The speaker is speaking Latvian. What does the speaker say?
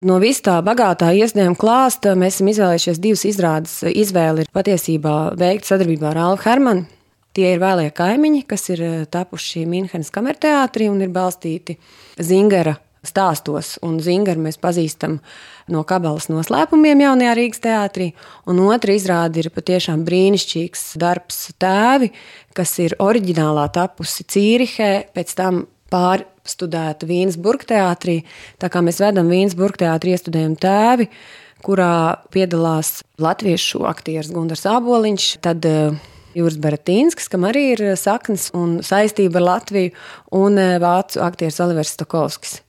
No visa tā bagātā iespējama klāsta mēs esam izvēlējušies 2 izrādes. Izvēle ir patiesībā veikta sadarbībā ar Alvu Hermanu. Tie ir Vēlie kaimiņi, kas ir tapuši Minhenes kamerteātrī un ir balstīti Zingara stāstos. Un Zingaru mēs pazīstam no Kabalas noslēpumiem jaunajā Rīgas teātrī. Un otra izrāde ir patiešām brīnišķīgs darbs Tēvi, kas ir oriģinālā tapusi Cīrihē, pēc tam pārstudēta Vīnes burgteātrī. Tā kā mēs vedam Vīnes burgteātri iestudējumu Tēvi, kurā piedalās latviešu aktieris Gundars Āboliņš, tad Juris Baratīnskis, kam arī ir saknes un saistība ar Latviju, un vācu aktieris Olivers Stokovskis.